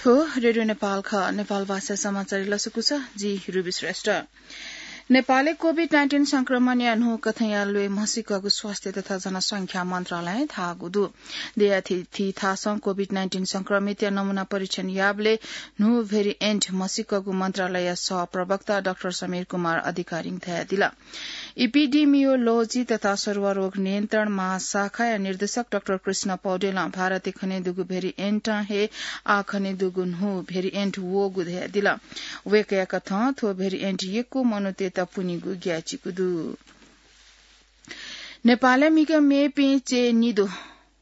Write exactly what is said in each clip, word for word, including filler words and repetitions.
थ्व रेडियो नेपाल खः। नेपाल भाषा समाचार लसकुस, जि रुबी श्रेष्ठ। नेपालय् कोभिड नाइन्टिन संक्रमणया न्हू कथंया ल्वय् म्हसीकःगु स्वास्थ्य तथा जनसंख्या मन्त्रालयं धाःगु दु। देय्‌या थीथी थासं कोभिड नाइन्टिन संक्रमितया नमूना परीक्षण याःबलय् न्हू भेरिएन्ट म्हसीकःगु मन्त्रालयया सहप्रवक्ता डाक्टर समीर कुमार अधिकारीं धयादिल। इपिडिमियोलोजी तथा सरुवा रोग नियन्त्रण महाशाखाया निर्देशक डाक्टर कृष्ण पौडेलं भारतय् खनेदुगु भेरिएन्टं हे आः खनेदुगु न्हू भेरिएन्ट वःगु धयादिल। वय्‌कःया कथं थ्व भेरिएन्ट यक्व मनूतय्‌त पुनेगु ग्याःचिकु दु। नेपालय् म्हिगः मेपिं चय् निद्वः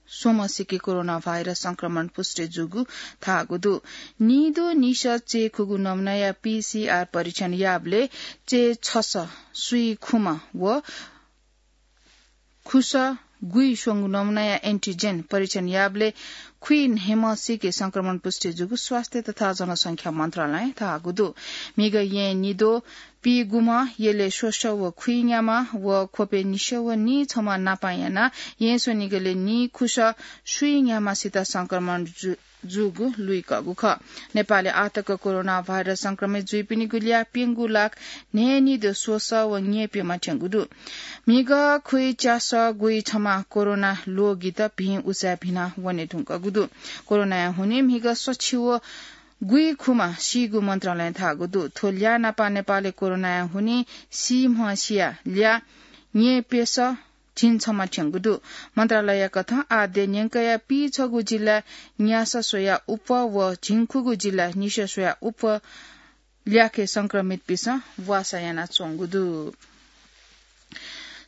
स्वम्हसिके कोरोना भाइरस संक्रमण पुष्टि जूगु धाःगु दु। निद्वः निसः चय् खुगू नमुनाया पीसीआर परीक्षण याःबलय् चय् छसः स्वीखुम्ह व खुसः गुइस्वंगू नमुनाया एन्टिजेन परीक्षण याःबलय् खुइन्हय्‌म्हसिके संक्रमण पुष्टि जूगु स्वास्थ्य तथा जनसंख्या मन्त्रालयं धाःगु दु। म्हिगः येँ निद्वः पीगुम्ह यलय् स्वसः व खुइन्याम्ह व ख्वपय् निसः व नीछम्ह नापं यानाः येँ स्वनिगलय् नीखुसः स्वीन्याम्हसित संक्रमण जु-, जूगु लुइकःगु खः। नेपालय् आःतक कोरोना भाइरस संक्रमित जुइपिनिगु ल्याः प्यंगू लाख न्हय्‌निद्वः स्वसः व न्यय्‌प्यम्ह थ्यंगु दु। म्हिगः खुइच्यासः गुइछम्ह कोरोना ल्वगित भिं उचाय् भिना वने धुंकूगु दु। कोरोनाया हुनिं म्हिगः सछि व गुइखुम्ह सीगु मन्त्रालयं धाःगु दु। थ्व ल्याः नापं नेपालय् कोरोनाया हुनिं सीम्हसिया ल्याः न्यय्‌प्यसः झिंछम्ह थ्यंगु दु। मन्त्रालयया कथं आः देय् न्यंकया पीछगू जिल्लाय् न्यासः स्वयाः अप्वः व झिंखुगू जिल्लाय् निसः स्वयाः अप्वः ल्याखय् संक्रमितपिन्सं वासः यानाच्वंगु दु।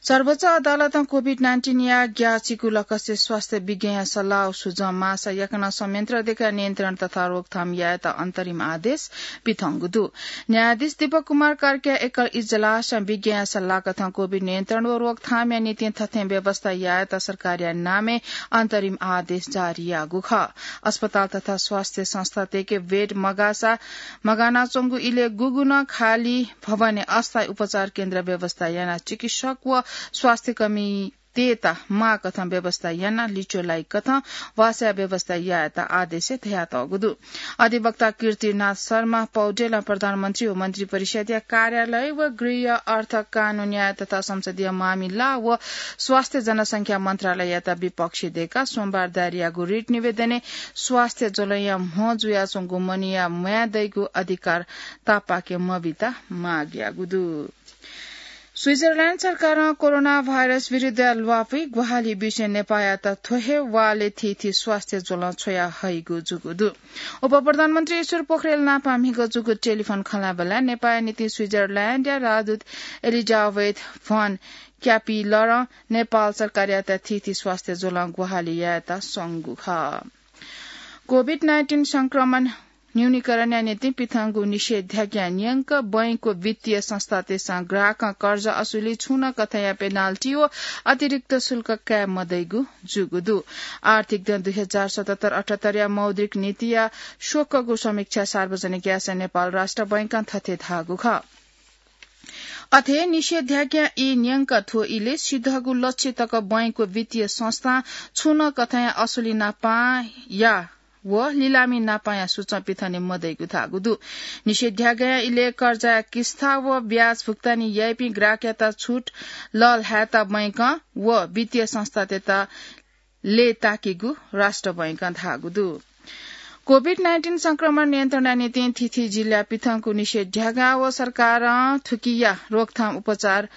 सर्वोच्च अदालतं कोभिड नाइन्टिनया ग्याःचिकु लकसे स्वास्थ्य विज्ञया सल्लाह व सुझाव माःसा याकनं संयन्त्र देकाः नियन्त्रण तथा रोकथाम यायेत अन्तरिम आदेश पिथंगु दु। न्यायाधीश दीपक कुमार कार्कीया एकल इजलासं विज्ञया सल्लाह कथं कोभिड नियन्त्रण व रोकथामया निंतिं थथें व्यवस्था यायेत सरकारया नामय् अन्तरिम आदेश जारी याःगु खः। अस्पताल तथा स्वास्थ्य संस्थातय्‌के बेड मगाःसा, मगानाच्वंगु इलय् गुगुं नं खाली भवनय् अस्थायी उपचार केन्द्र व्यवस्था यानाः चिकित्सक व स्वास्थ्यकर्मीतय्‌त माःकथं व्यवस्था यानाः लिच्वः लाइकथं वासःया व्यवस्था यायेत आदेशय् धयातःगु दु। अधिवक्ता कीर्तिनाथ शर्मा पौडेलं प्रधानमन्त्री व मन्त्रिपरिषद्‌या कार्यालय व गृह, अर्थ, कानून, न्याय तथा संसदीय मामिला व स्वास्थ्य जनसंख्या मन्त्रालययात विपक्षी दय्‌काः सोमबार दायर याःगु रिट निवेदनय् स्वास्थ्य ज्वलंया म्ह जुयाच्वंगु मनूया म्वाये दइगु अधिकार तापाके मबीत माग याःगु दु। स्विजरल्याण्ड सरकारं कोरोना भाइरस विरुद्धया ल्वापुइ ग्वाहालि बिसें नेपाःयात थ्व हे वालय् थीथी स्वास्थ्य ज्वलं छ्वया हइगु जूगु दु। उपप्रधानमन्त्री ईश्वर पोखरेल नापं म्हिगः जूगु टेलिफोन खँल्हाबल्हाय् नेपाःया निंतिं स्विजरल्याण्डया राजदूत एलिजाबेथ भन क्यापिलरं नेपाल सरकारयात थीथी स्वास्थ्य ज्वलं ग्वाहालि यायेत स्वंगु खः। कोभिड नाइन्टिन संक्रमण न्यूनीकरणया निंतिं पिथंगु निषेधाज्ञा न्यंक बैंक व वित्तीय संस्थातय्‌सं ग्राहकं कर्जा असुली छुं नं कथंया पेनाल्टी व अतिरिक्त शुल्क काये मदइगु जूगु दु। आर्थिक दँ दुई हजार सतहत्तर अठहत्तरया मौद्रिक नीतिया स्वकःगु समीक्षा सार्वजनिक याःसा नेपाल राष्ट्र बैंकं थथे धाःगु खः। अथे निषेधाज्ञा ई न्यंक थ्व इलय् सिधःगु लक्ष्य तक बैंक व वित्तीय संस्थां छुं नं कथंया असुली नापं या व लिलामी नापंया सूचं पिथने मदइगु धाःगु दु। निषेधाज्ञा इलय् कर्जाया किस्ता व ब्याज भुक्तानी याइपिं ग्राहकयात छुट लःल्हायेत बैंकं व वित्तीय संस्थातय्‌त लय्‌ताकीगु राष्ट्र बैंकं धाःगु दु। कोभिड नाइन्टिन संक्रमण नियन्त्रणया निंतिं थीथी जिल्लाय् पिथंगु निषेधाज्ञा व सरकारं थुकिया रोकथाम उपचार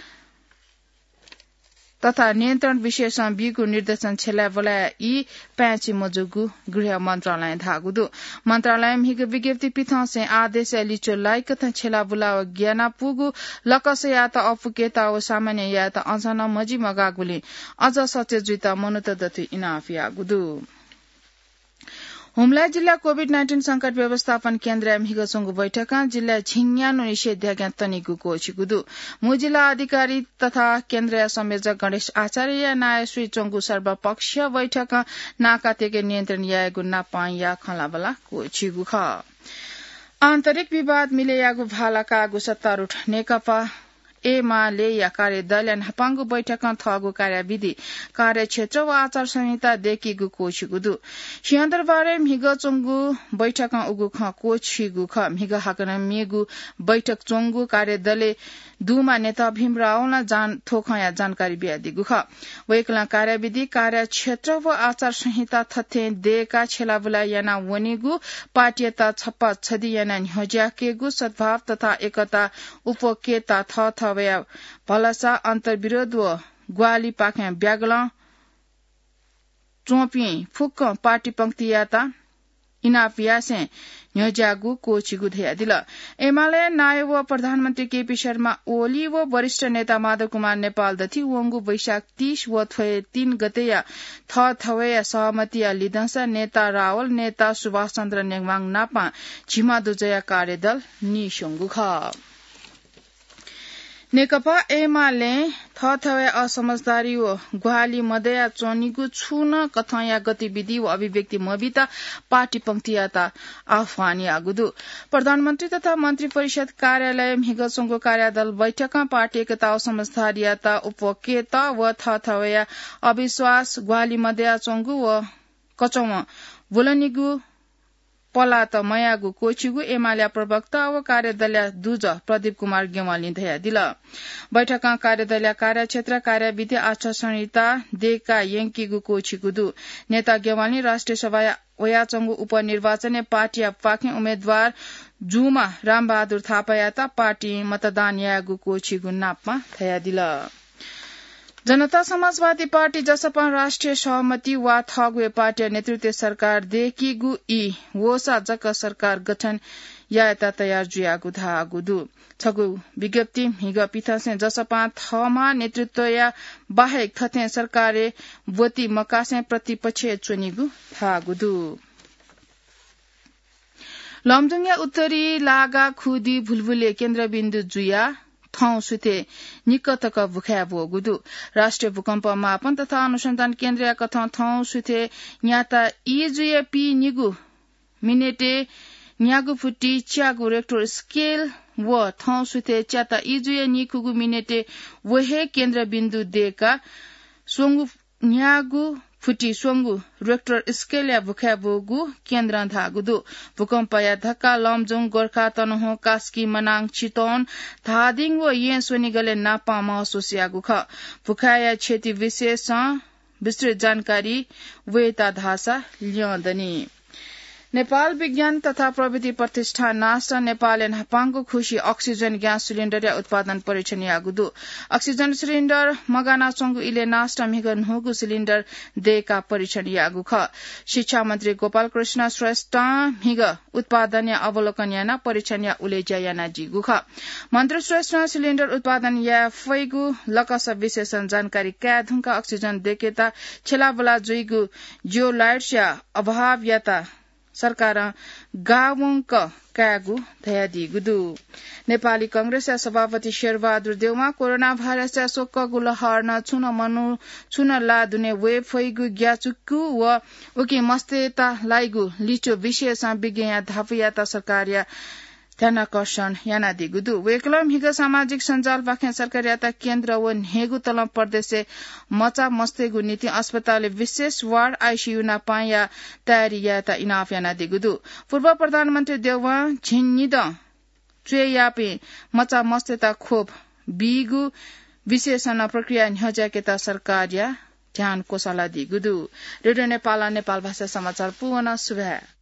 तथा नियन्त्रण विषयसं बीगु निर्देशन छ्यलाबुलाया ई पाय्‌छि मजूगु गृह मन्त्रालयं धाःगु दु। मन्त्रालयं म्हिगः विज्ञप्ति पिथंसें आदेशया लिच्वः लाइकथं छ्यलाबुला व ग्यानापुगु लकसयात अःपुकेत व सामान्य यायेत अझ नं मजि मगाःगुलिं अझ सचेत जुइत मनूत दथुइ इनाप याःगु दु। हुम्ला जिल्ला कोभिड नाइन्टिन संकट व्यवस्थापन केन्द्रया म्हिगः च्वंगु बैठकं जिल्लाय् झिंन्यान्हु निषेधाज्ञा तनीगु क्वःछिगु दु। मू जिल्ला अधिकारी तथा केन्द्रया संयोजक गणेश आचार्यया नायःसुइ च्वंगु सर्वपक्षीय बैठकं नाकातय्‌के नियन्त्रण यायेगु नापं या खँल्हाबल्हा क्वःछिगु खः। आन्तरिक विवाद मिले याःगु भाला काःगु सत्तारूढ नेकपा एमालेया कार्यदलया न्हापांगु बैठकं थःगु कार्यविधि, कार्यक्षेत्र व आचार संहिता दय्‌कीगु क्वःछिगु दु। सिंहदरबारय् म्हिगः च्वंगु बैठकं उगु खँ क्वःछिगु खः। म्हिगः हाकनं मेगु बैठक च्वंगु कार्यदलय् दुम्ह नेता भीम रावलं जान-, थ्व खँया जानकारी बियादीगु खः। वय्‌कलं कार्यविधि, कार्यक्षेत्र व आचार संहिता थथें दय्‌काः छ्यलाबुला याना वनेगु, पार्टीयात छप्पा छधि याना न्ह्यज्याकेगु, सद्भाव तथा एकता उप्वकेत थःथवया भलसा, अन्तर्विरोध व ग्वाहालिपाखें ब्यागलं च्वंपिं फुक्कं पार्टी पंक्तियात इनाप यासें न्ह्यज्याःगु क्वःछिगु धयादिल। एमाले नायः व प्रधानमन्त्री केपी शर्मा ओली व वरिष्ठ नेता माधव कुमार नेपाल दथि वंगु वैशाख तीस व थ्व तीन गतेया थःथवया सहमतिया लिधंसा नेता रावल, नेता सुभाष चन्द्र नेवाङ नापं झिम्मा दुजःया कार्यदल नीस्वंगु खः। नेकपा एमालें थःथवया असमझदारी व ग्वाहालि मदया च्वनीगु छुं नं कथंया गतिविधि व अभिव्यक्ति मबीत पार्टी पंक्तियात आह्वान याःगु दु। प्रधानमन्त्री तथा मन्त्री परिषद कार्यालय म्हिगः च्वंगु कार्यदल बैठकं पार्टी एकता व समझदारीयात उप्वकेत व थःथवया अविश्वास ग्वाहालि मदया च्वंगु व कचवं ब्वलनीगु पलात मयाःगु क्वःछिगु एमालेया प्रवक्ता व कार्यदलया दुजः प्रदीप कुमार ज्ञवालीं धयादिल। बैठकं कार्यदलया कार्यक्षेत्र, कार्यविधि, आचार संहिता दय्‌का यंकीगु क्वःछिगु दु। नेता ज्ञवालीं राष्ट्रिय सभाया वयाच्वंगु उपनिर्वाचनय् पार्टीयापाखें उम्मेदवार जूम्ह रामबहादुर थापायात पार्टीं मतदान यायेगु क्वःछिगु नापं धयादिल। जनता समाजवादी पार्टी जसपां राष्ट्रिय सहमति वा थःगु हे पार्टीया नेतृत्वय् सरकार दय्‌कीगु ई वःसा जक सरकार गठन यायेत तयार जुयागु धाःगु दु। छगू विज्ञप्ति म्हिगः पिथंसें जसपां थःम्हं नेतृत्वया बाहेक थथें सरकारय् ब्वति मकासें प्रतिपक्षय् च्वनीगु धाःगु दु। लमजुङया उत्तरी लागा खुदी भुलभुलय् केन्द्रबिन्दु जुयाः थौं सुथय् निक्क तक भुखाय् ब्वःगु दु। राष्ट्रिय भूकम्प मापन तथा अनुसन्धान केन्द्रया कथं थौं सुथय् न्याता ई जुया पीनिगू मिनेटय् न्यागू फुति च्यागू रेक्टर स्केल व थौं सुथय् च्याता ई जुया निकूगू मिनेटय् व हे केन्द्रबिन्दु दय्‌काः स्वंगू न्यागू फुति स्वंगू रेक्टर स्केलया भुखाय् ब्वःगु केन्द्रं धाःगु दु। भूकम्पया धक्का लमजुङ, गोर्खा, तनहुँ, कास्की, मनाङ, चितवन, धादिङ व येँ स्वनिगलय् नापं महसुस याःगु खः। भुखाय्‌या क्षति विषयसं विस्तृत जानकारी वयेत धाःसा ल्यं दनि। नेपाल विज्ञान तथा प्रविधि प्रतिष्ठान नासं नेपालय् न्हापांगु खुसि अक्सिजन ग्यास सिलिन्डरया उत्पादन परीक्षण याःगु दु। अक्सिजन सिलिन्डर मगानाच्वंगु इलय् नासं म्हिगः न्हूगु सिलिन्डर दय्‌काः परीक्षण याःगु खः। शिक्षा मन्त्री गोपाल कृष्ण श्रेष्ठं म्हिगः उत्पादनया अवलोकन यानाः परीक्षणया उलेज्या यानादीगु खः। मन्त्री श्रेष्ठं सिलिन्डर उत्पादन याये फइगु लकस विषयसं जानकारी काये धुंकाः अक्सिजन दय्‌केत छ्यलाबुला जुइगु जियोलाइट्सया अभावयात सरकारं गावंक कायेगु धयादीगु दु। नेपाली कांग्रेसया सभापति शेरबहादुर देउवां कोरोना भाइरसया स्वकःगु लहरं छुं नं मनू छुं नं ला दुने वये फइगु ग्याचुकु व उकी मस्तय्‌त लाइगु लिच्वः विषयसं विज्ञया धापूयात सरकारया ध्यानाकर्षण यानादीगु दु। वय्‌कलं म्हिगः सामाजिक सञ्जालपाखें सरकारयात केन्द्र व न्हय्‌गू तलं प्रदेशय् मचा मस्तय्‌गु निंतिं अस्पतालय् विशेष वार्ड, आइसियु नापंया तयारी यायेत इनाप यानादीगु दु। पूर्व प्रधानमन्त्री देउवां झिंनिदँ च्वय्‌याःपिं मचा मस्तय्‌त खोप बीगु विषयसं नं प्रक्रिया न्ह्यज्याकेत सरकारया ध्यान क्वसालादीगु दु। रेडियो नेपालं नेपाल भाषा समाचार पूवना। सुभाय्।